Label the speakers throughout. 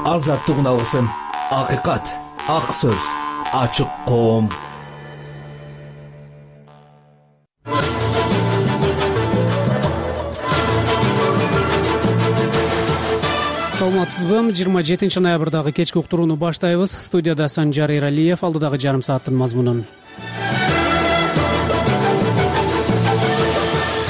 Speaker 1: Азаттык алгысым, акыйкат, ак сөз, ачык коом.
Speaker 2: Саламатсызбы? 27 ноябрдагы кечки уктурууну баштайбыз. Студияда Санжар Эралиев, алдыдагы жарым сааттын мазмунун.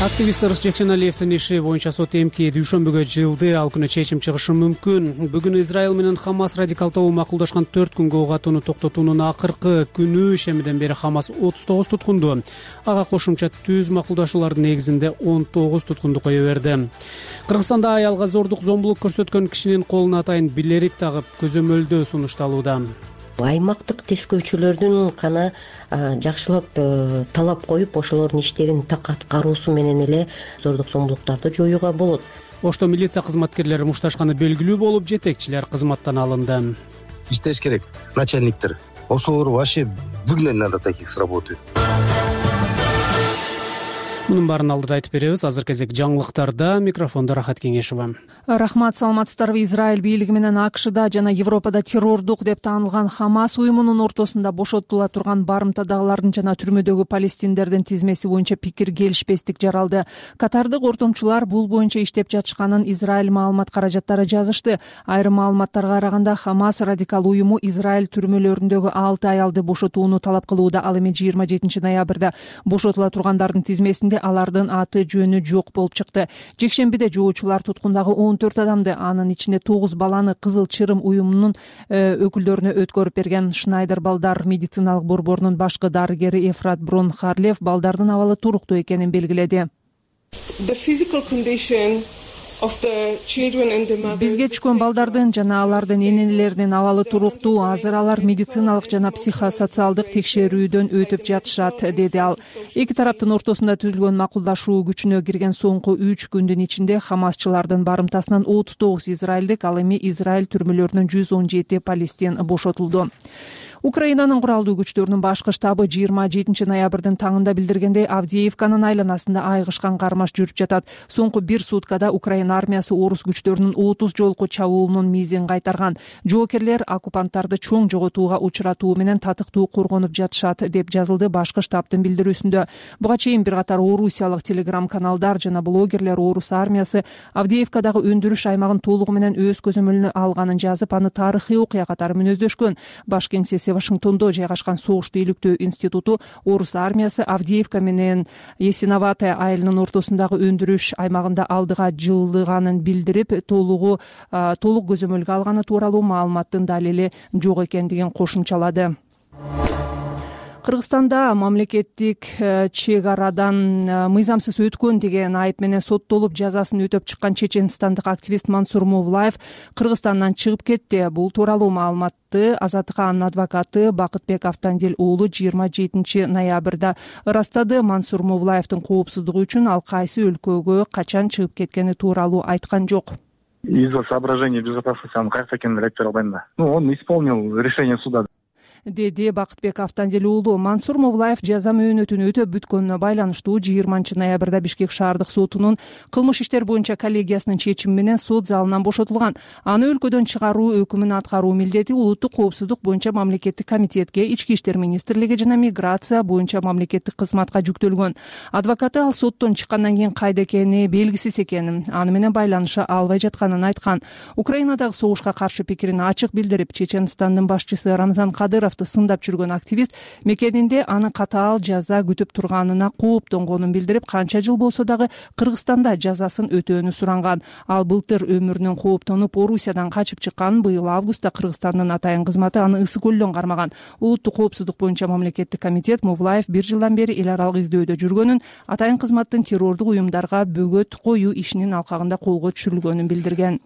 Speaker 2: Активист Ырыс Жекшеналиевдин иши боюнча сот эмки дүйшөмбүгө жылды, ал күнү чечим чыгышы мүмкүн. Бүгүн Израиль менен Хамас радикал тобу макулдашкан 4 күнгө ок атууну токтотуунун акыркы күнү. Ишемиден бери Хамас 39 туткунду. Ага кошумча түз макулдашуулардын негизинде 19 туткунду кое берди. Кыргызстанда аялга зордук зомбулук көрсөткөн кишинин колуна атайын билерик тагып көзөмөлдөө сунушталууда.
Speaker 3: Аймактык тескөөчүлөрдүн гана жакшылап талап коюп, ошолордун иштерин так аткаруусу менен эле зордук зомбулуктарды жоюуга болот.
Speaker 2: Ошто милиция кызматкерлери мушташканы белгилүү болуп, жетекчилер кызматтан алынды.
Speaker 4: Иштеш керек, начальниктер. Ошолор вообще выгнать надо таких с работы.
Speaker 2: Мунун баарын алдыда айтып беребиз. Азыр кезек жаңылыктарда. Микрофондо Рахат Кеңешова.
Speaker 5: Рахмат, саламатсыздарбы? Израиль бийлиги менен АКШда жана Европада террордук деп таанылган Хамас уюмунун ортосунда бошотула турган барымтадагылардын жана түрмөдөгү палестиндердин тизмеси боюнча пикир келишпестик жаралды. Катардык ортомчулар бул боюнча иштеп жатышканын Израиль маалымат каражаттары жазышты. Айрым маалыматтарга караганда Хамас радикал уюму Израиль түрмөлөрүндөгү 6 аялды бошотууну талап кылууда. Ал эми 27 ноябрда бошотула тургандардын тизмесинде алардын аты жөнү жок болуп чыкты. Жекшембиде жоочулар туткундагы 14 адамды, анын ичинде 9 баланы Кызыл Чырым уюмунун өкүлдөрүнө өткөрүп берген. Шнайдер балдар медициналык борборунун башкы дарыгери Ефрат Брон-Харлев балдардын абалы туруктуу экенин белгиледи. Бизге түшкөн балдардын жана алардын энелеринин абалы туруктуу. Азыр алар медициналык жана психосоциалдык текшерүүдөн өтүп жатышат, деди ал. Эки тараптын ортосунда түзүлгөн макулдашуу күчүнө кирген соңку 3 күндүн ичинде Хамасчылардын барымтасынан 39 израилдик, ал эми Израиль түрмөлөрүнөн 117 палестин бошотулду. Украинанын куралдуу күчтөрүнүн башкы штабы 27 ноябрдын таңында билдиргендей, Авдеевканын айланасында айгышкан кармаш жүрүп жатат. Соңку 1 суткада Украина армиясы орус күчтөрүнүн 30 жолку чабуулунун мизин кайтарган. Жоокерлер оккупанттарды чоң жоготууга учуратуу менен татыктуу коргонуп жатышат, деп жазылды башкы штабтын билдирүүсүндө. Буга чейин бир катар орусиялык телеграм-каналдар жана блогерлер орус армиясы Авдеевкадагы өндүрүш аймагын толугу менен өз көзөмөлүнө алганын жазып, аны тарыхый окуя катары мүнөздөшкөн. Баш кеңсеси Вашингтондо жайгашкан согушту иликтөө институту орус армиясы Авдеевка менен Ясиноватая айылынын ортосундагы өндүрүш аймагында алдыга жылдыганын билдирип, толук көзөмөлгө алганы тууралуу маалыматтын далили жок экендигин кошумчалады. Кыргызстанда мамлекеттик чек арадан мыйзамсыз өткөн деген айып менен соттолуп жазасын өтөп чыккан чеченстандык активист Мансур Мовлаев Кыргызстандан чыгып кетти. Бул тууралуу маалыматты Азаттыкка анын адвокаты Бакытбек Автандил уулу 27 ноябрда ырастады. Мансур Мовлаевдин коопсуздугу үчүн ал кайсы өлкөгө качан чыгып кеткени тууралуу айткан жок.
Speaker 6: Из-за соображений безопасности анын кайерде экенин айтып бере албайм да. Он исполнил решение суда,
Speaker 5: деди Бакытбек Автандил уулу. Мансур Мовлаев жаза мөөнөтүн өтөп бүткөнүнө байланыштуу 20 ноябрда Бишкек шаардык сотунун кылмыш иштер боюнча коллегиясынын чечими менен сот залынан бошотулган. Аны өлкөдөн чыгаруу өкүмүн аткаруу милдети улуттук коопсуздук боюнча мамлекеттик комитетке, Ички иштер министрлиги жана миграция боюнча мамлекеттик кызматка жүктөлгөн. Адвокаты ал соттон чыккандан кийин кайда экени белгисиз экенин, аны менен байланыша албай жатканын айткан. Украинадагы согушка каршы пикирин ачык билдирип, Чеченстандын башчысы Рамзан Кадыровду сындап жүргөн активист мекенинде аны катаал жаза күтүп турганына кооптонгонун билдирип, канча жыл болсо дагы Кыргызстанда жазасын өтөөнү суранган. Ал былтыр өмүрүнөн кооптонуп Орусиядан качып чыккан. Быйыл августта Кыргызстандын атайын кызматы аны Ысык көлдөн кармаган. Улуттук коопсуздук боюнча мамлекеттик комитет Мовлаев 1 жылдан бери эл аралык издөөдө жүргөнүн, атайын кызматтын террордук уюмдарга бөгөт коюу ишинин алкагында колго түшүрүлгөнүн билдирген.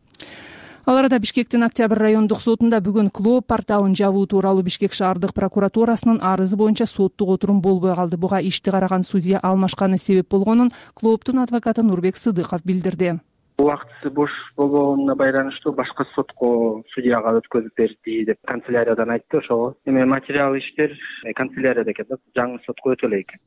Speaker 5: Ал арада Бишкектин Октябрь райондук сотунда бүгүн Клоп порталын жабуу тууралуу Бишкек шаардык прокуратурасынын арызы боюнча соттук отурум болбой калды. Буга ишти караган судья алмашканы себеп болгонун Клоптун адвокаты Нурбек Сыдыков билдирди.
Speaker 7: Убактысы бош болгонуна байланыштуу башка сотко судьяга өткөзүп берди деп канцеляриядан айтты. Ошого эми материал иштер канцелярияда экен да, жаңы сотко өтөлө экен.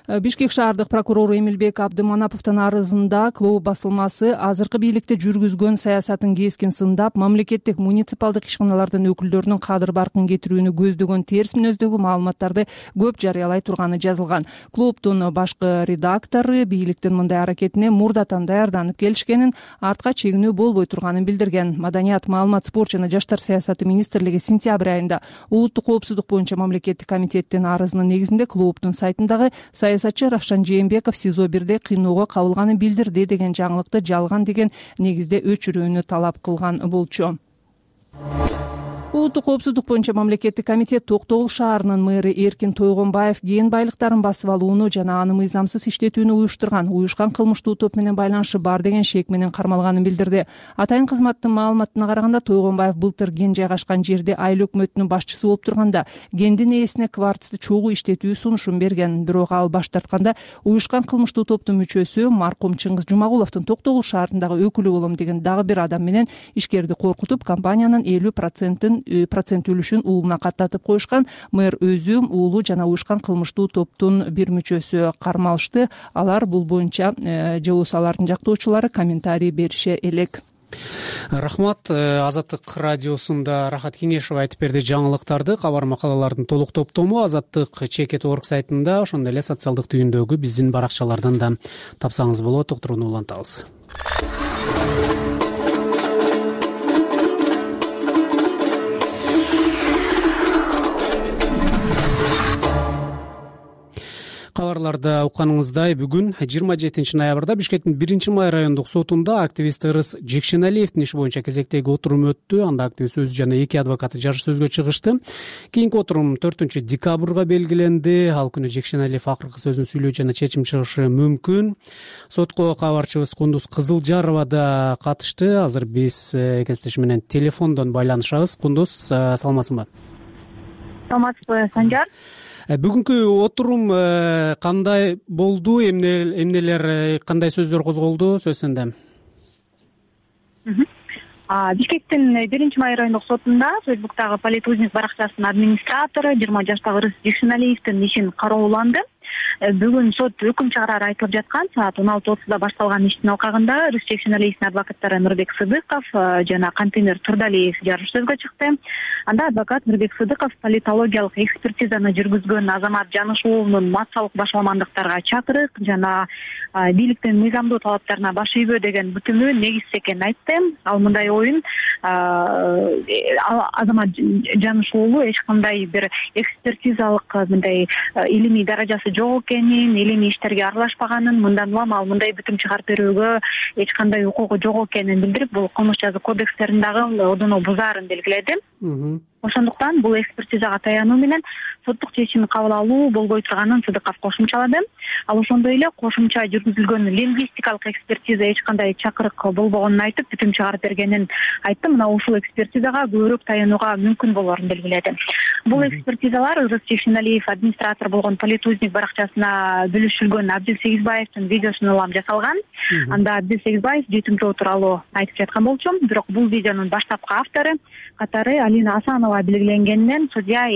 Speaker 5: Бишкек шаардык прокурору Эмилбек Абдыманаповдун арызында клуб басылмасы азыркы бийликте жүргүзгөн саясатын кескин сындап, мамлекеттик муниципалдык ишканалардын өкүлдөрүнүн кадыр баркын кетирүүнү көздөгөн терс мүнөздөгү маалыматтарды көп жарыялай турганы жазылган. Клубдун башкы редактору бийликтин мындай аракетине мурдатан даярданып келишкенин, артка чегинүү болбой турганын билдирген. Маданият, маалымат, спорт жана жаштар саясаты министрлиги сентябрь айында улуттук коопсуздук боюнча мамлекеттик комитеттин арызынын негизинде клубдун сайтындагы саясатчы Равшан Жээнбеков СИЗО 1де кыйноого кабылганын билдирди деген жаңылыкты жалган деген негизде өчүрүүнү талап кылган болчу. Улуттук коопсуздук боюнча мамлекеттик комитет Токтогул шаарынын мэрі Эркин Тойгонбаев кен байлыктарын басып алууну жана аны мыйзамсыз иштетүүнү уюшкан кылмыштуу топ менен байланышы бар деген шек менен кармалганын билдирди. Атайын кызматтын маалыматына караганда, Тойгонбаев былтыр кен жайгашкан жерде айыл өкмөтүнүн башчысы болуп турганда кендин ээсине кварцты чогуу иштетүү сунушун берген. Бирок ал баш тартканда уюшкан кылмыштуу топтун мүчөсү маркум Чыңгыз Жумагуловдун Токтогул шаарындагы өкүлү болом деген дагы бир адам менен ишкерди коркутуп, компаниянын 50% өлүшүн уулуна каттатып коюшкан. Мэр өзү уулу жана уюшкан кылмыштуу топтун бир мүчөсү кармалышты. Алар бул боюнча же болбосо алардын жактоочулары комментарий берише элек.
Speaker 2: Рахмат. Азаттык радиосунда Рахат Кеңешева айтып берди жаңылыктарды. Кабар макалалардын толук топтому Азаттык.org сайтында, ошондой эле социалдык түйүндөгү биздин баракчалардан да тапсаңыз болот. Уктурууну улантабыз. Кабарларда укканыңыздай, бүгүн 27 ноябрда Бишкектин 1-май райондук сотунда активист Ырыс Жекшеналиевдин иши боюнча кезектеги отурум өттү. Анда активист өзү жана 2 адвокаты жарыш сөзгө чыгышты. Кийинки отурум 4-декабрга белгиленди. Ал күнү Жекшеналиев акыркы сөзүн сүйлөө жана чечим чыгышы мүмкүн. Сотко кабарчыбыз Кундуз Кызылжарова да катышты. Азыр биз кесиптеши менен телефондон байланышабыз. Кундуз, саламатсыңбы?
Speaker 8: Саламатсызбы, Санжар?
Speaker 2: Бүгүнкү отурум кандай болду? Эмнелер, кандай сөздөр козголду? Сөз сенде.
Speaker 8: Бишкектин 1-май райондук сотунда Фейсбуктагы Политузник баракчасынын администратору 20 жаштагы Ырыс Жекшеналиевдин ишин карооланды. Бүгүн сот өкүм чыгарары айтылып жаткан саат 16:30да башталган иштин алкагында Ырыс Жекшеналиевдин адвокаттары Нурбек Сыдыков жана Кантемир Турдалиев жарыш сөзгө чыкты. Анда адвокат Нурбек Сыдыков политологиялык экспертизаны жүргүзгөн Азамат Жанышуулунун массалык башаламандыктарга чакырык жана бийликтин мыйзамдуу талаптарына баш ийбөө деген бүтүмү негизсиз экенин айтты. Ал мындай оюн Азамат Жанышуулу эч кандай бир экспертизалык мындай илимий даражасы жок экенин, илимий иштерге аралашпаганын, мындан улам ал мындай бүтүм чыгарып берүүгө эч кандай укугу жок экенин билдирип, бул кылмыш жаза кодекстериндагы ордуну бузаарын белгиледи. Ошондуктан бул экспертизага таянуу менен соттук чечим кабыл алуу болбой турганын Сыдыков кошумчалады. Ал ошондой эле кошумча жүргүзүлгөн лингвистикалык экспертиза эч кандай чакырык болбогонун айтып, бүтүм чыгарып бергенин айтты. Мына ушул экспертизага көбүрөөк таянууга мүмкүн болоорун белгиледи. Бул экспертизалар Ырыс Жекшеналиев администратор болгон Политузник баракчасына бүлүшүлгөн Абдил Сегизбаевдин видеосуна улам жасалган. Анда Абдил Сегизбаев жетимчи тууралуу айтып жаткан болчу. Бирок бул видеонун баштапкы автору катары Алина Асанова белгиленгенден судья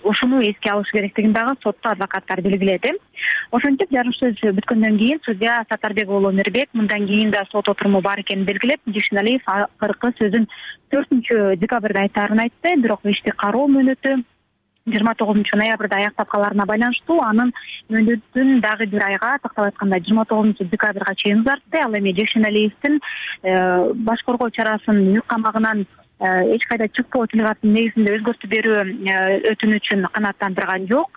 Speaker 8: ушуну эске алыш керектигин дагы сотто адвокаттар белгиледи. Ошентип жарыш сөз бүткөндөн кийин судья Сатарбек уулу Мирбек мындан кийин да сот отуруму бар экенин белгилеп, Жекшеналиев акыркы сөзүн 4-декабрда айтаарын айтты. Бирок ишти кароо мөөнөтү 29-ноябрда аяктап калаарына байланыштуу анын мөөнөтүн дагы бир айга, тактап айтканда 29-декабрга чейин узартты. Ал эми Жекшеналиевдин баш коргоо чарасын үй камагынан эч кайда чыкпоо тилгатын негизинде өзгөртүп берүү өтүнүчүн канааттандырган жок.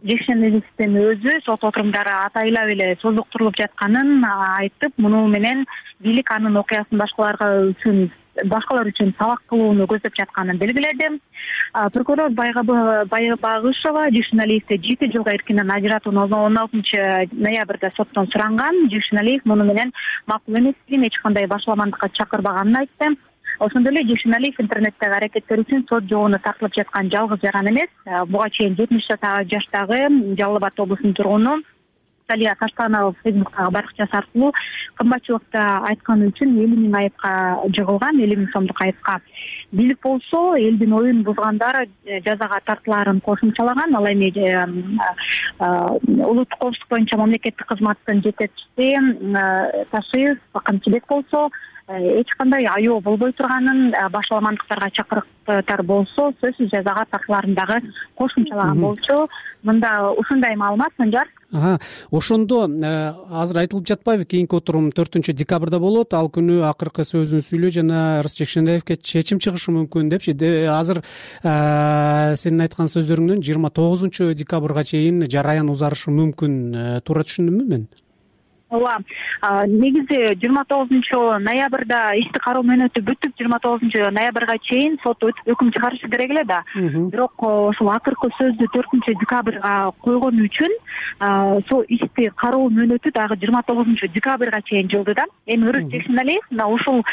Speaker 8: Жекшеналиевдин өзү сот отурумдары атайлап эле созуктурулуп жатканын айтып, муну менен бийлик анын окуясын башкалар үчүн сабак кылууну көздөп жатканын белгиледи. Прокурор Байбагышева Жекшеналиевди 7 жылга эркинен ажыратууну 16-ноябрда соттон суранган. Жекшеналиев муну менен макул эместигин, эч кандай башаламандыкка чакырбаганын айтты. Ошондой эле Жекшеналиев интернеттеги аракеттер үчүн сот жообуна тартылып жаткан жалгыз жаран эмес. Буга чейин 70 жаштагы Жалал Абад облусунун тургуну Залия Таштанова Фейсбуктагы баракчасы аркылуу кымбатчылыкта айтканы үчүн 50 миң айыпка жыгылган, 50 миң сомдук айыпка. Бийлик болсо элдин оюн бузгандар жазага тартылаарын кошумчалаган. Ал эми улуттук коопсуздук боюнча мамлекеттик кызматтын жетекчиси Ташиев Камчыбек болсо эч кандай аябоо болбой турганын, башаламандыктарга чакырыктар болсо сөзсүз жазага тартылаарын дагы кошумчалаган болчу. Мында ушундай маалымат, Санжар.
Speaker 2: Ошондо азыр айтылып жатпайбы, кийинки отурум 4-декабрда болот, ал күнү акыркы сөзүн сүйлөө жана Рыс Жекшенаевке чечим чыгышы мүмкүн депчи. Азыр сенин айткан сөздөрүңдөн 29-декабрга чейин жараян узарышы мүмкүн. Туура түшүндүмбү мен?
Speaker 8: Ооба. Негизи 29-ноябрда ишти кароо мөөнөтү бүтүп, 29-ноябрга чейин сот өкүм чыгарышы керек эле да. Бирок ошол акыркы сөздү 4-декабрга койгон үчүн сол ишти кароо мөөнөтү дагы 29-декабрга чейин жылды да. Эми Рыс Жекшеналиев ушул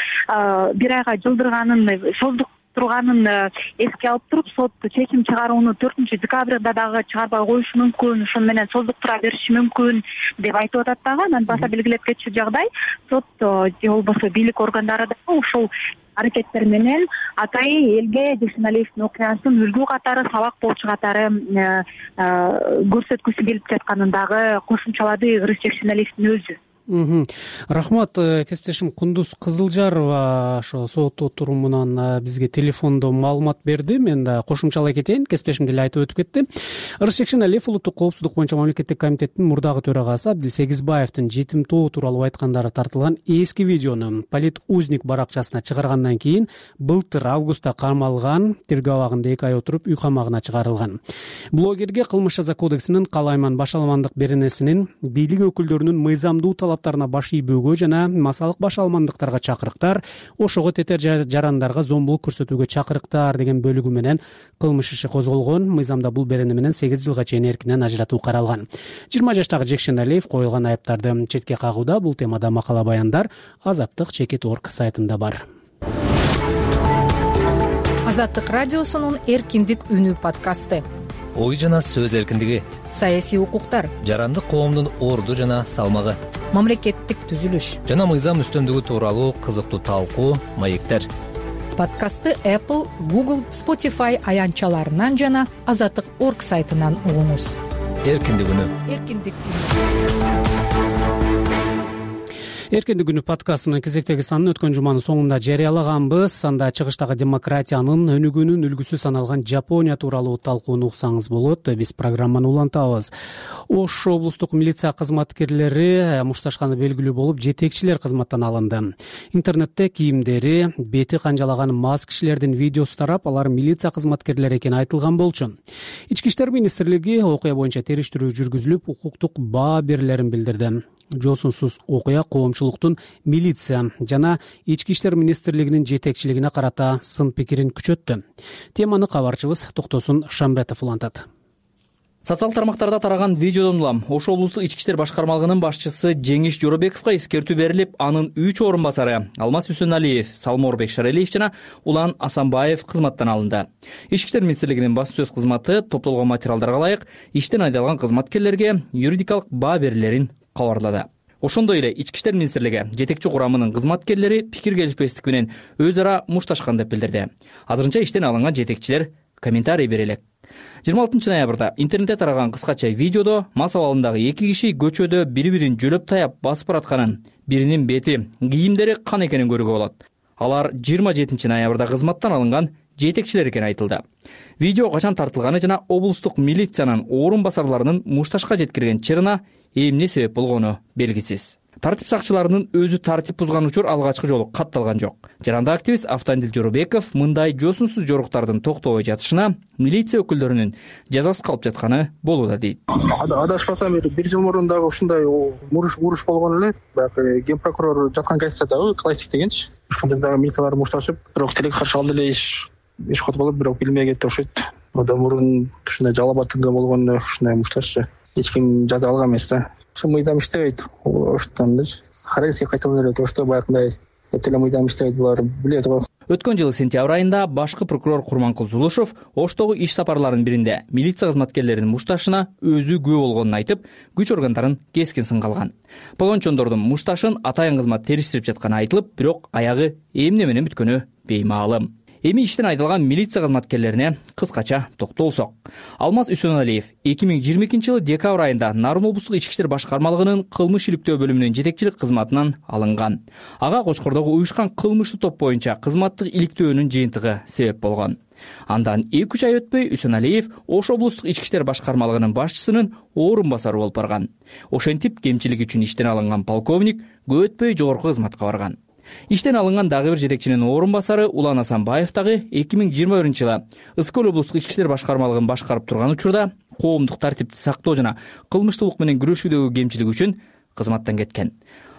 Speaker 8: бир айга жылдырганын, создук турганын эске алып туруп, сот чечим чыгарууну 4-декабрда дагы чыгарбай коюшу мүмкүн, ошону менен создуктура бериши мүмкүн деп айтып атат дагы. Анан баса белгилеп кетчү жагдай сот же болбосо бийлик органдары да ушул аракеттер менен атайын элге Жекшеналиевдин окуясын үлгү катары, сабак болчу катары көрсөткүсү келип жатканын дагы кошумчалады Рыс Жекшеналиевдин өзү.
Speaker 2: Рахмат, кесиптешим Кундуз Кызылжарова ошо сот отурумунан бизге телефондо маалымат берди. Мен да кошумчалай кетейин, кесиптешим деле айтып өтүп кетти. Рыс Жекшеналиев улуттук коопсуздук боюнча мамлекеттик комитеттин мурдагы төрагасы Абдил Сегизбаевдин жетим тоо тууралуу айткандары тартылган эски видеону Политузник баракчасына чыгаргандан кийин былтыр августта камалган, тергөө абагында 2 ай отуруп үй камагына чыгарылган. Блогерге кылмыш жаза кодексинин калайман башаламандык беренесинин бийлик өкүлдөрүнүн мыйзамдуу талаптарына баш ийбөөгө жана масалык башаламандыктарга чакырыктар, ошого тетер жарандарга зомбулук көрсөтүүгө чакырыктар деген бөлүгү менен кылмыш иши козголгон. Мыйзамда бул берене менен 8 жылга чейин эркинен ажыратуу каралган. 20 жаштагы Жекшеналиев коюлган айыптарды четке кагууда. Бул темада макала баяндар Азаттык.org сайтында бар.
Speaker 5: Азаттык радиосунун Эркиндик үнү подкасты.
Speaker 1: Ой жана сөз эркиндиги,
Speaker 5: Саясий укуктар,
Speaker 1: жарандык коомдун орду жана салмагы,
Speaker 5: мамлекеттик түзүлүш
Speaker 1: жана мыйзам үстөмдүгү тууралуу кызыктуу талкуу, маектер.
Speaker 5: Подкастты Apple, Google, Spotify аянтчаларынан жана Азаттык.org сайтынан угуңуз.
Speaker 1: Эркиндик үнү.
Speaker 5: Эркиндик үнү.
Speaker 2: Эркиндик күнү подкастынын кезектеги санын өткөн жуманын соңунда жарыялаганбыз. Анда чыгыштагы демократиянын өнүгүүнүн үлгүсү саналган Жапония тууралуу талкууну уксаңыз болот. Биз программаны улантабыз. Ош облустук милиция кызматкерлери мушташканы белгилүү болуп, жетекчилер кызматтан алынды. Интернетте кийимдери, бети канжалаган мас кишилердин видеосу тарап, алар милиция кызматкерлери экени айтылган болчу. Ички иштер министрлиги окуя боюнча териштирүү жүргүзүлүп, укуктук баа берилерин билдирди. Жосунсуз окуя коомчулуктун милиция жана ички иштер министрлигинин жетекчилигине карата сын пикирин күчөттү. Теманы кабарчыбыз Токтосун Шамбетов улантат.
Speaker 9: Социал тармактарда тараган видеодон улам Ош облустук ички иштер башкармалыгынын башчысы Жеңиш Жоробековго эскертүү берилип, анын 3 орун басары Алмаз Үсөналиев, Салморбек Шаралиев жана Улан Асанбаев кызматтан алынды. Ички иштер министрлигинин басма сөз кызматы топтолгон материалдарга ылайык иштен айдалган кызматкерлерге юридикалык баа берилерин кабарлады. Ошондой эле ички иштер министрлиги жетекчи курамынын кызматкерлери пикир келишпестик менен өз ара мушташкан деп билдирди. Азырынча иштен алынган жетекчилер комментарий бере элек. 26 ноябрда интернетте тараган кыскача видеодо мас абалындагы 2 киши көчөдө бири-бирин жөлөп таяп басып баратканын, биринин бети, кийимдери кан экенин көрүүгө болот. Алар 27 ноябрда кызматтан алынган жетекчилер экени айтылды. Видео качан тартылганы жана облустук милициянын орун басарларынын мушташка жеткирген чырына эмне себеп болгону белгисиз. Тартип сакчыларынын өзү тартип бузган учур алгачкы жолу катталган жок. Жарандык активист Автандил Жоробеков мындай жосунсуз жоруктардын токтобой жатышына милиция өкүлдөрүнүн жазасыз калып жатканы болууда дейт.
Speaker 10: Адашпасам 1 жыл мурун дагы ушундай уруш болгон эле. Баягы ген прокурор жаткан газетадагы классик дегенчи. Ушундай дагы милициялар мушташып, бирок тилек каршы алды эле иш козголуп, бирок билмей кетти окшойт. Одан мурун ушундай Жалал-Абадта болгон ушундай мушташчы эч ким жаза алган эмес да. Ошо мыйзам иштебейт. Оштондуч характерге кайталап берет. Ошто баягындай эле мыйзам иштебейт, булар билет го.
Speaker 9: Өткөн жылы сентябрь айында башкы прокурор Курманкул Зулушев Оштогу иш сапарларынын биринде милиция кызматкерлеринин мушташына өзү күбө болгонун айтып, күч органдарын кескин сынга алган. Погончондордун мушташын атайын кызмат териштирип жатканы айтылып, бирок аягы эмне менен бүткөнү беймаалым. Эми иштен айдалган милиция кызматкерлерине кыскача токтолсок. Алмаз Үсөналиев 2022 жылы декабрь айында Нарын облустук ички иштер башкармалыгынын кылмыш иликтөө бөлүмүнүн жетекчилик кызматынан алынган. Ага Кочкордогу уюшкан кылмыштуу топ боюнча кызматтык иликтөөнүн жыйынтыгы себеп болгон. Андан 2-3 ай өтпөй Үсөналиев Ош облустук ички иштер башкармалыгынын башчысынын орун басары болуп барган. Ошентип кемчилик үчүн иштен алынган полковник көп өтпөй жогорку кызматка барган. Иштен алынган дагы бир жетекчинин орун басары Улан Асанбаев дагы 2021 жылы Ыскөл облустук ички иштер башкармалыгын башкарып турган учурда коомдук тартипти сактоо жана кылмыштуулук менен күрөшүүдөгү кемчилик үчүн кызматтан кеткен.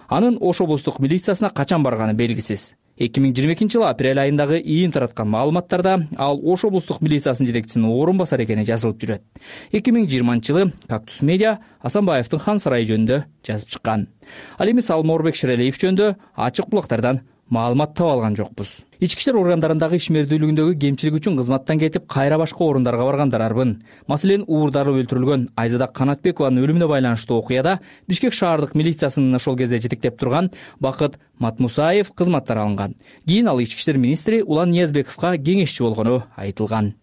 Speaker 9: Анын Ош облустук милициясына качан барганы белгисиз. 2022 жылы апрель айындагы ийин тараткан маалыматтарда ал Ош облустук милициясынын жетекчисинин орун басары экени жазылып жүрөт. 2020 жылы Кактус медиа Асанбаевдин Хан сарайы жөнүндө жазып чыккан. Ал эми Салморбек Шерелиев жөнүндө ачык булактардан маалымат таап алган жокпуз. Ички иштер органдарындагы ишмердүүлүгүндөгү кемчилик үчүн кызматтан кетип, кайра башка орундарга баргандар арбын. Маселен, уурдарып өлтүрүлгөн Айзада Канатбекованын өлүмүнө байланыштуу окуяда Бишкек шаардык милициясынын ошол кезде жетектеп турган Бакыт Матмусаев кызматтан алынган. Кийин ал ички иштер министри Улан Ниязбековго кеңешчи болгону айтылган.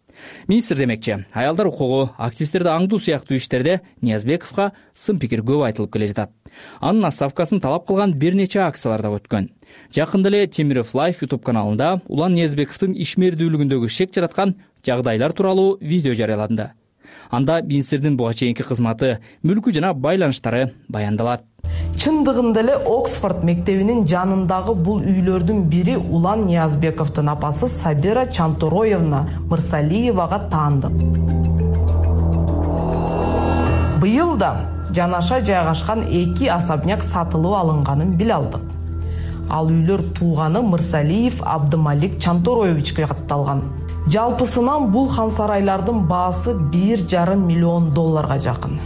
Speaker 9: Министр демекчи, аялдар укугу, активисттерди аңдуу сыяктуу иштерде Ниязбековго сын пикир көп айтылып келе жатат. Анын отставкасын талап кылган бир нече акциялар да өткөн. Жакында эле Темиров Лайф YouTube каналында Улан Ниязбековдун ишмердүүлүгүндөгү шек жараткан жагдайлар тууралуу видео жарыяланды. Анда министрдин буга чейинки кызматы, мүлкү жана байланыштары баяндалат.
Speaker 11: Чындыгында эле Оксфорд мектебинин жанындагы бул үйлөрдүн бири Улан Ниязбековдун апасы Сабира Чантороевна Мырсалиевага таандык. Быйыл да жанаша жайгашкан 2 особняк сатылып алынганын биле алдык. Ал үйлөр тууганы Мырсалиев Абдымалик Чантороевичке катталган. Жалпысынан бул хан сарайлардын баасы $1,5 миллион жакын.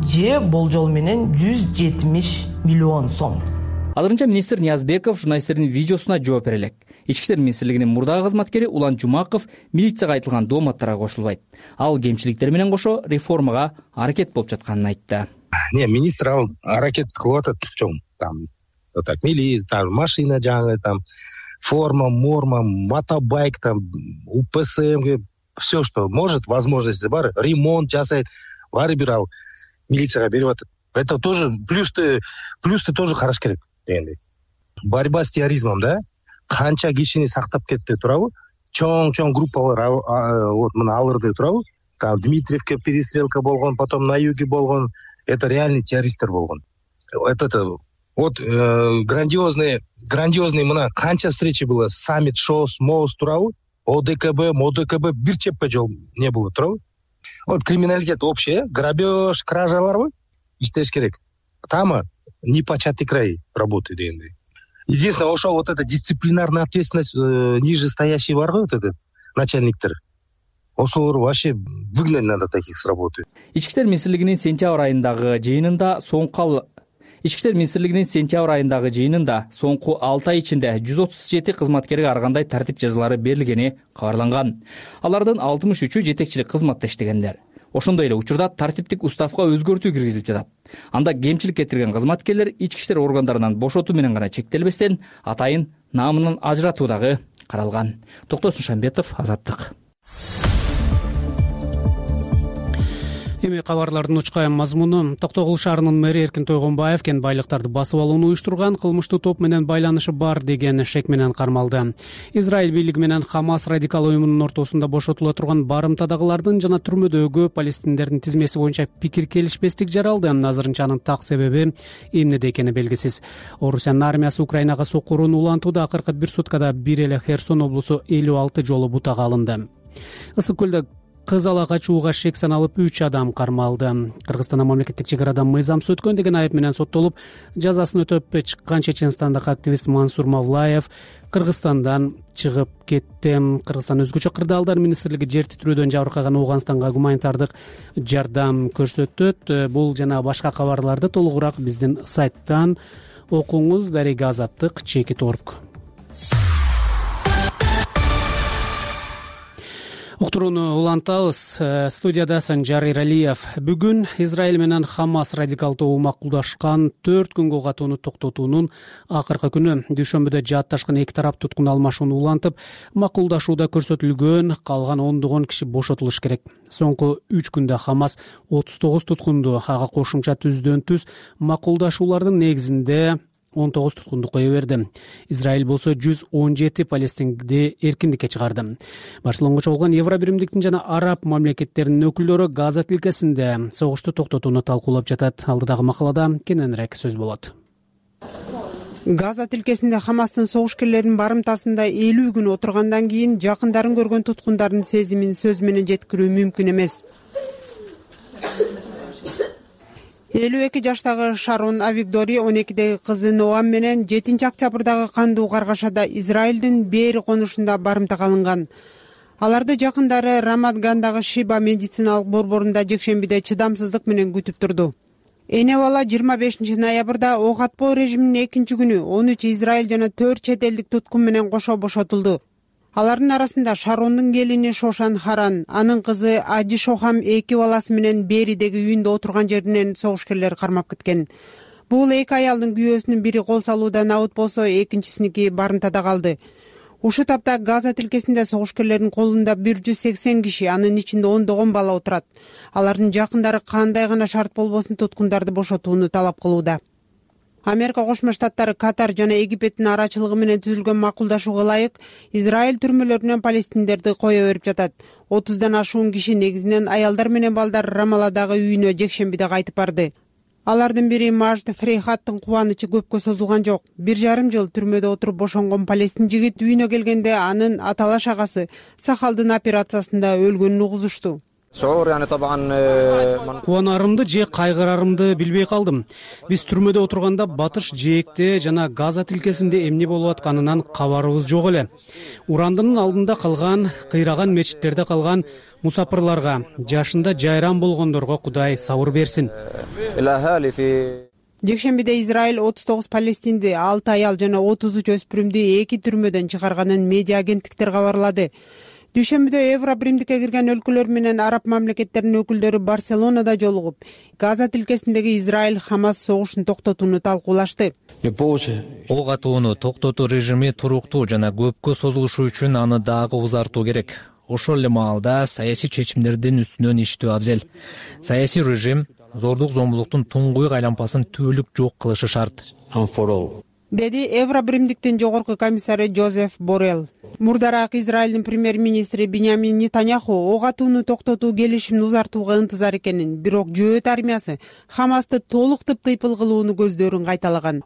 Speaker 11: Же болжол менен 170 миллион сом.
Speaker 9: Азырынча министр Ниязбеков журналисттердин видеосуна жооп бере элек. Ички иштер министрлигинин мурдагы кызматкери Улан Жумаков милицияга айтылган дооматтарга кошулбайт. Ал кемчиликтер менен кошо реформага аракет болуп жатканын айтты.
Speaker 4: Министр ал аракет кылып атат, чоң. Там так там машина жаңы, там форма, морма, мотобайк, там УПСМ, все, что может, возможности бар, ремонт жасайт, баары бир ал милицияга берип атат. Это тоже плюсты тоже караш керек дегендей. Борьба с терроризмом, да? Канча кишини сактап кетти турабы? Чоң группалар вот мына алырды турабы? Там Дмитриевке перестрелка болгон, потом на юге болгон. Это реальный террористтер болгон. Вот грандиозный мына канча встречи было, саммит, ШОС, МОС турабы? ОДКБ бир чеппе жол не было турабы? Вот криминалитет общий, грабеж, кражаларбы иштеш керек. Там непочатый край работы дегендей. Единственное, ошо вот эта дисциплинарная ответственность ниже стоящий бар го, вот этот начальниктер. Ошолор вообще выгнать надо таких с работы.
Speaker 9: Ички иштер министрлигинин сентябрь айындагы жыйынында соңку 6 ай ичинде 137 кызматкерге ар кандай тартип жазалары берилгени кабарланган. Алардын 63-ü жетекчилик кызматта иштегендер. Ошондой эле учурда тартиптик уставга өзгөртүү киргизилип жатат. Анда кемчилик кетирген кызматкерлер ички иштер органдарынан бошотуу менен гана чектелбестен атайын наамынан ажыратуу дагы каралган. Токтосун Шамбетов, Азаттык.
Speaker 2: Эми кабарлардын учкан мазмуну. Токтогул шаарынын мэри Эркин Тойгонбаев кен байлыктарды басып алууну уюштурган кылмыштуу топ менен байланышы бар деген шек менен кармалды. Израиль бийлиги менен Хамас радикал уюмунун ортосунда бошотула турган барымтадагылардын жана түрмөдөгү палестиндердин тизмеси боюнча пикир келишпестик жаралды. Азырынча анын так себеби эмнеде экени белгисиз. Орусиянын армиясы Украинага сокурууну улантууда. Акыркы бир суткада бир эле Херсон облусу 56 жолу бутага алынды. Ысык көлдө кыз ала качууга шек саналып 3 адам кармалды. Кыргызстандын мамлекеттик чек арадан мыйзамсыз өткөн деген айып менен соттолуп, жазасын өтөп чыккан Чеченстандагы активист Мансур Мавлаев Кыргызстандан чыгып кетти. Кыргызстан өзгөчө кырдаалдар министрлиги жер титирөөдөн жабыркаган Ооганстанга гуманитардык жардам көрсөтөт. Бул жана башка кабарларды толугураак биздин сайттан окуңуз. Дарига Азаттык, Чекит Орг. Уктурууну улантабыз. Студияда Санжар Иралиев. Бүгүн Израиль менен Хамас радикал тобу макулдашкан 4 күнгө катууну токтотуунун акыркы күнү. Дүйшөмбүдө жаатташкан эки тарап туткун алмашууну улантып, макулдашууда көрсөтүлгөн калган ондогон киши бошотулуш керек. Соңку 3 күндө Хамас 39 туткунду, ага кошумча түздөн-түз макулдашуулардын негизинде 19 туткунду кое берди. Израиль болсо 117 палестинди эркиндикке чыгарды. Барселонго чогулган Евробиримдиктин жана араб мамлекеттеринин өкүлдөрү Газа тилкесинде согушту токтотууну талкуулап жатат. Алдыдагы макалада кененирээк сөз болот.
Speaker 12: Газа тилкесинде Хамастын согушкерлеринин барымтасында 50 күн отургандан кийин жакындарын көргөн туткундардын сезимин сөз менен жеткирүү мүмкүн эмес. 52 жаштагы Шарон Авигдори 12деги кызы Ноам менен 7-октябрдагы кандуу каргашада Израилдин Бери конушунда барымтага алынган. Аларды жакындары Рамадгандагы Шиба медициналык борборунда жекшембиде чыдамсыздык менен күтүп турду. Эне бала 25 ноябрда ок атпоо режиминин 2-күнү 13 Израиль жана 4 чет элдик туткун менен кошо бошотулду. Алардын арасында Шарондун келини Шошан Харан, анын кызы Аджи Шохам 2 баласы менен Беридеги үйүндө отурган жеринен согушкерлер кармап кеткен. Бул 2 аялдын күйөөсүнүн бири кол салуудан абыт болсо, экинчисиники барымтада калды. Ушул тапта Газа тилкесинде согушкерлердин колунда 180 киши, анын ичинде ондогон бала отурат. Алардын жакындары кандай гана шарт болбосун туткундарды бошотууну талап кылууда. Америка Кошмо Штаттары, Катар жана Египеттин арачылыгы менен түзүлгөн макулдашууга ылайык Израиль түрмөлөрүнөн палестиндерди кое берип жатат. 30дан ашуун киши, негизинен аялдар менен балдар, Рамаладагы үйүнө жекшембиде кайтып барды. Алардын бири Мажд Фрейхаттын кубанычы көпкө созулган жок. 1,5 жыл түрмөдө отуруп бошонгон палестин жигит үйүнө келгенде анын аталаш агасы сакалдын операциясында өлгөнүн угузушту.
Speaker 2: Кубанарымды же кайгырарымды билбей калдым. Биз түрмөдө отурганда батыш жээкте жана Газа тилкесинде эмне болуп атканынан кабарыбыз жок эле. Урандынын алдында калган, кыйраган мечиттерде калган мусапырларга, жашында жайран болгондорго Кудай сабыр берсин.
Speaker 12: Жекшембиде Израиль 39 палестинди, 6 аял жана 33 өспүрүмдү 2 түрмөдөн чыгарганын медиа агенттиктер кабарлады. Дүйшөмбүдө Евробиримдикке кирген өлкөлөр менен араб мамлекеттеринин өкүлдөрү Барселонада жолугуп, Газа тилкесиндеги Израиль-Хамас согушун токтотууну талкуулашты.
Speaker 13: Ок атууну токтотуу режими туруктуу жана көпкө созулушу үчүн аны дагы узартуу керек. Ошол эле маалда саясий чечимдердин үстүнөн иштөө абзел. Саясий режим зордук зомбулуктун туңгуйук айлампасын түбөлүк жок кылышы шарт.
Speaker 12: Деди Евробиримдиктин жогорку комиссары Жозеф Боррелл. Мурдараак Израилдин премьер-министри Биньямин Нетаньяху ок атууну токтотуу келишимин узартууга ынтызар экенин, бирок жөөт армиясы Хамасты толук тыптыйпыл кылууну көздөрүн кайталаган.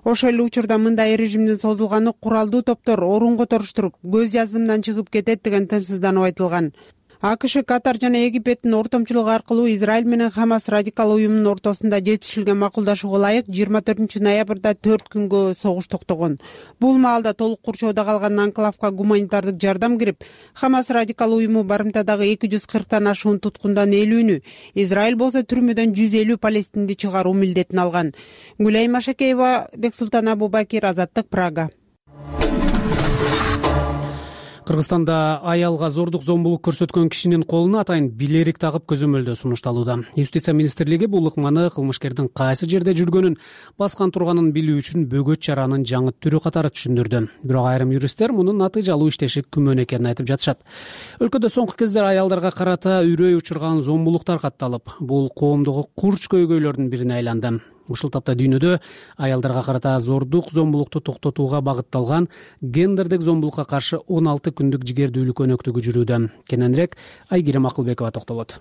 Speaker 12: Ошол эле учурда мындай режимдин созулганы куралдуу топтор орун которуштуруп, көз жаздымдан чыгып кетет деген тынчсыздануу айтылган. АКШ, Катар жана Египеттин ортомчулугу аркылуу Израиль менен Хамас радикал уюмунун ортосунда жетишилген макулдашууга ылайык 24 ноябрда 4 күнгө согуш токтогон. Бул маалда толук курчоодо калган анклавка гуманитардык жардам кирип, Хамас радикал уюму барымтадагы 240тан ашуун туткундан 50-үнү, Израиль болсо түрмөдөн 150 палестинди чыгаруу милдетин алган. Гүлай Машакеева, Бексултан Абубакир, Азаттык, Прага.
Speaker 2: Кыргызстанда аялга зордук зомбулук көрсөткөн кишинин колуна атайын билерик тагып көзөмөлдөө сунушталууда. Юстиция министрлиги бул ыкманы кылмышкердин кайсы жерде жүргөнүн, баскан турганын билүү үчүн бөгөт чаранын жаңы түрү катары түшүндүрдү. Бирок айрым юристтер мунун натыйжалуу иштеши күмөн экенин айтып жатышат. Өлкөдө соңку кездер аялдарга карата үрөй учурган зомбулуктар катталып, бул коомдогу курч көйгөйлөрдүн бирине айланды. Ушул тапта дүйнөдө аялдарга карата зордук зомбулукту токтотууга багытталган гендердик зомбулукка каршы 16 күндүк жигердүүлүк өнөктүгү жүрүүдө. Кененирээк Айгерим Акылбекова токтолот.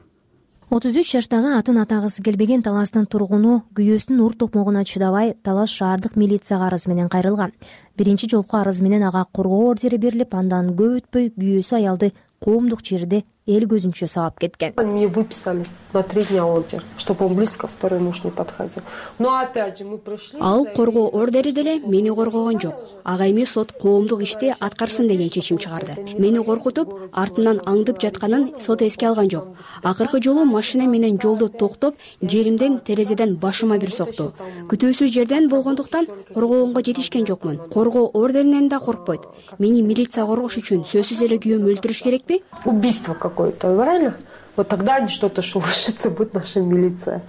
Speaker 14: 33 жаштагы атын атагысы келбеген Таластын тургуну күйөөсүнүн ур токмогуна чыдабай Талас шаардык милицияга арыз менен кайрылган. Биринчи жолку арыз менен ага коргоо ордери берилип, андан көп өтпөй күйөөсү аялды коомдук жерде эл көзүнчө сабап кеткен.
Speaker 15: Мне выписали на 3 дня ордер, чтобы он близко второй муж не подходил. Но опять же мы пришли.
Speaker 16: Ал коргоо ордери деле мени коргогон жок. Ага эми сот коомдук ишти аткарсын деген чечим чыгарды. Мени коркутуп, артынан аңдып жатканын сот эске алган жок. Акыркы жолу машина менен жолдо токтоп, жеримден терезеден башыма бир сокту. Күтүүсүз жерден болгондуктан коргогонго жетишкен жокмун. Коргоо ордеринен да коркпойт. Мени милиция коргош үчүн сөзсүз эле күйөөмү өлтүрүш керекпи?
Speaker 15: Убийство какое-то, правильно? Вот тогда они что-то шелушится, будет наша милиция.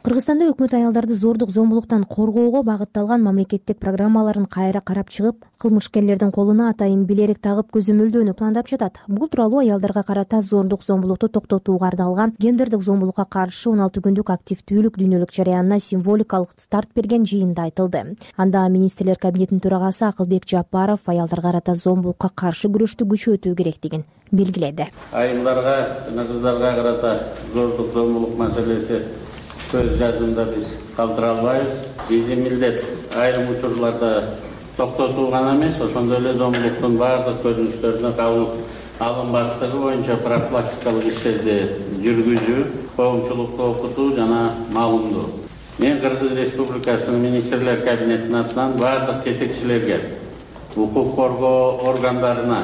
Speaker 14: Кыргызстанда өкмөт аялдарды зордук зомбулуктан коргоого багытталган мамлекеттик программаларын кайра карап чыгып, кылмышкерлердин колуна атайын билерик тагып көзөмөлдөөнү пландап жатат. Бул тууралуу аялдарга карата зордук зомбулукту токтотууга арналган гендердик зомбулукка каршы 16 күндүк активдүүлүк дүйнөлүк жарыянына символикалык старт берген жыйында айтылды. Анда министрлер кабинетинин төрагасы Акылбек Жапаров аялдарга карата зомбулукка каршы күрөштү күчөтүү керектигин белгиледи.
Speaker 17: Айылдарга, кыздарга карата зордук зомбулук маселеси көз жазымда биз калтыра албайбыз. Биздин милдет айрым учурларда токтотуу гана эмес, ошондой эле зомбулуктун баардык көрүнүштөрүнө кабыл алынбастыгы боюнча профилактикалык иштерди жүргүзүү, коомчулукту окутуу жана маалымдоо. Мен Кыргыз Республикасынын министрлер кабинетинин атынан баардык жетекчилерге, укук коргоо органдарына,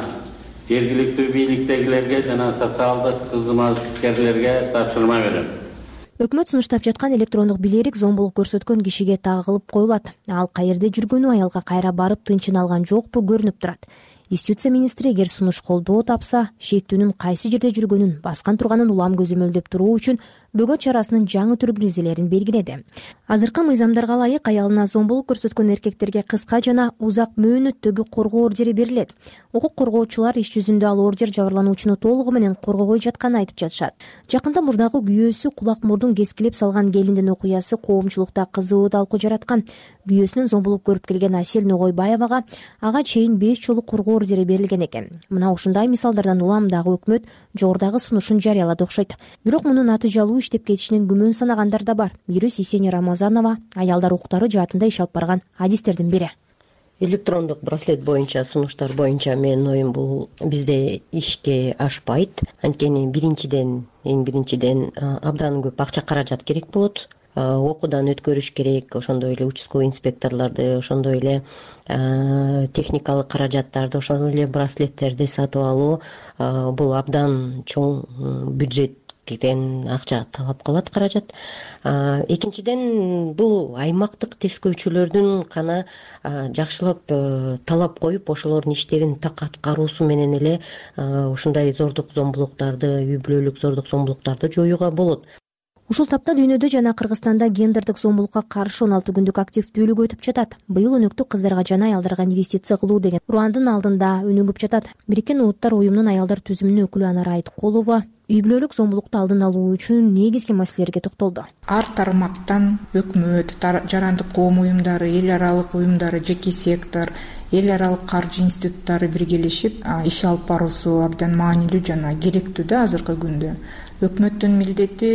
Speaker 17: жергиликтүү бийликтегилерге жана социалдык кызматкерлерге тапшырма берем.
Speaker 14: Өкмөт сунуштап жаткан электрондук билерик зомбулук көрсөткөн кишиге тагылып коюлат. Ал каерде жүргөнү аялга кайра барып тынчын алган жокпу көрүнүп турат. Юстиция министри эгер сунуш колдоо тапса, шектүүнүн кайсы жерде жүргөнүн, баскан турганын улам көзөмөлдөп туруу үчүн бөгөт чарасынын жаңы түр киргизилерин белгиледи. Азыркы мыйзамдарга ылайык аялына зомбулук көрсөткөн эркектерге кыска жана узак мөөнөттөгү коргоо ордери берилет. Укук коргоочулар иш жүзүндө ал ордер жабырлануучуну толугу менен коргобой жатканын айтып жатышат. Жакында мурдагы күйөөсү кулак мурдун кескилеп салган келиндин окуясы коомчулукта кызуу талкуу жараткан. Күйөөсүнүн зомбулук көрүп келген Асель Ногойбаевага ага чейин 5 жолу коргоо ордери берилген экен. Мына ушундай мисалдардан улам дагы өкмөт жогорудагы сунушун жарыялады окшойт. Бирок мунун натыйжалуу иштеп кетишинин күмөн санагандар да бар. Юрист Есения Рамазанова аялдар укуктары жаатында иш алып барган адистердин бири.
Speaker 3: Электрондук браслет боюнча, сунуштар боюнча менин оюм бул бизде ишке ашпайт. Анткени эң биринчиден абдан көп акча каражат керек болот. Окуудан өткөрүш керек, ошондой эле участковый инспекторлорду, ошондой эле техникалык каражаттарды, ошондой эле браслеттерди сатып алуу бул абдан чоң бюджеттен акча талап кылат, каражат. Экинчиден бул аймактык тескөөчүлөрдүн гана жакшылап талап коюп, ошолордун иштерин так аткаруусу менен эле ушундай зордук зомбулуктарды, үй бүлөлүк зордук зомбулуктарды жоюуга болот.
Speaker 14: Ушул тапта дүйнөдө жана Кыргызстанда гендердик зомбулукка каршы 16 күндүк активдүүлүк өтүп жатат. Быйыл өнөктү кыздарга жана аялдарга инвестиция кылуу деген урандын алдында өнүгүп жатат. Бириккен Улуттар уюмунун аялдар түзүмүнүн өкүлү Анара Айткулова үй бүлөлүк зомбулукту алдын алуу үчүн негизги маселелерге токтолду.
Speaker 18: Ар тармактан өкмөт, жарандык коом уюмдары, эл аралык уюмдары, жеке сектор, эл аралык каржы институттары биргелешип иш алып баруусу абдан маанилүү жана керектүү да азыркы күндө. Өкмөттүн милдети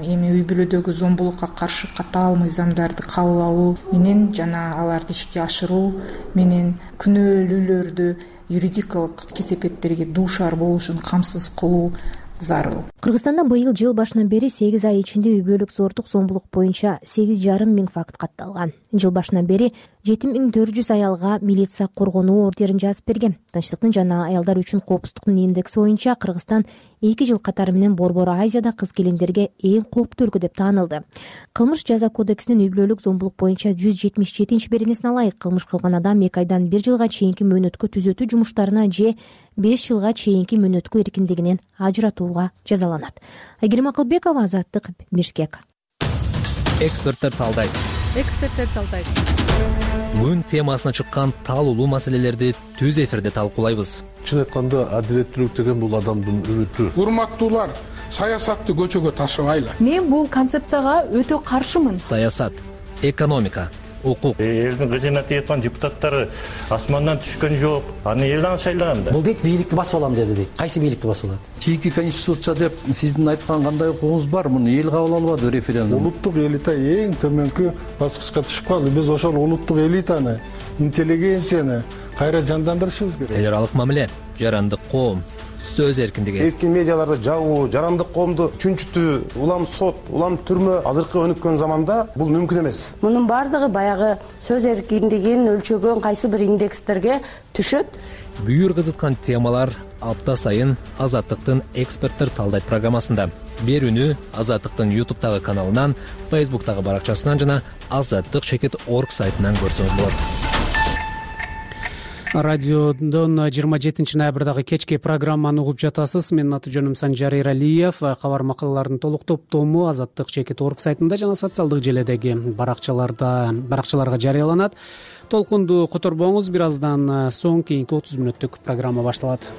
Speaker 18: эми үй бүлөдөгү зомбулукка каршы катаал мыйзамдарды кабыл алуу менен жана аларды ишке ашыруу менен күнөөлүүлөрдү юридикалык кесепеттерге дуушар болушун камсыз кылуу зарыл.
Speaker 14: Кыргызстанда быйыл жыл башынан бери 8 ай ичинде үй бүлөлүк зордук зомбулук боюнча 8,5 миң факт катталган. Жыл башынан бери 7400 аялга милиция коргонуу ордерин жазып берген. Тынчтыктын жана аялдар үчүн коопсуздуктун индекси боюнча Кыргызстан 2 жыл катары менен Борбор Азияда кыз келиндерге эң кооптуу өлкө деп таанылды. Кылмыш жаза кодексинин үй бүлөлүк зомбулук боюнча 177-беренесине ылайык кылмыш кылган адам 2 айдан 1 жылга чейинки мөөнөткө түзөтүү жумуштарына же 5 жылга чейинки мөөнөткө эркиндигинен ажыратууга жазаланат. Айгерим Акылбекова, Азаттык, Бишкек.
Speaker 13: Эксперттер талдайт. Күн темасына чыккан таалуулуу маселелерди түз эфирде талкуулайбыз.
Speaker 19: Чын айтканда адилеттүүлүк деген бул адамдын үмүтү. Урматтуулар, саясатты көчөгө ташыбайлы.
Speaker 20: Мен бул концепцияга өтө каршымын.
Speaker 13: Саясат, экономика, укук.
Speaker 21: Элдин кызына тийаткан депутаттары асмандан түшкөн жок. Аны элден шайлаган да.
Speaker 22: Бул дейт бийликти басып алам деди дейт. Кайсы бийликти басып алат?
Speaker 23: Чийки конституция деп сиздин айткан кандай укугуңуз бар? Муну эл кабыл албады референдум.
Speaker 19: Улуттук элита эң төмөнкү баскычка түшүп калды. Биз ошол улуттук элитаны, интеллигенцияны кайра жандандырышыбыз керек.
Speaker 13: Эл аралык мамиле, жарандык коом, сөз эркиндиги.
Speaker 6: Эркин медиаларды жабуу, жарандык коомду чүнчүтүү, улам сот, улам түрмө азыркы өнүккөн заманда бул мүмкүн эмес.
Speaker 7: Мунун бардыгы баягы сөз эркиндигин өлчөгөн кайсы бир индекстерге түшөт.
Speaker 13: Бүйүр кызыткан темалар апта сайын Азаттыктын эксперттер талдайт программасында. Берүүнү Азаттыктын YouTube'тагы каналынан, Facebook'тагы баракчасынан жана azаттык.org сайтынан көрсөңүз болот.
Speaker 2: Радиодон 27 ноябрдагы кечки программаны угуп жатасыз. Менин аты жөнүм Санжар Эралиев. Кабар макалалардын толук топтому azаттык.org сайтында жана социалдык желедеги баракчаларга жарыяланат. Толкунду которбоңуз, бир аздан соң кийинки 30 мүнөттүк программа башталат.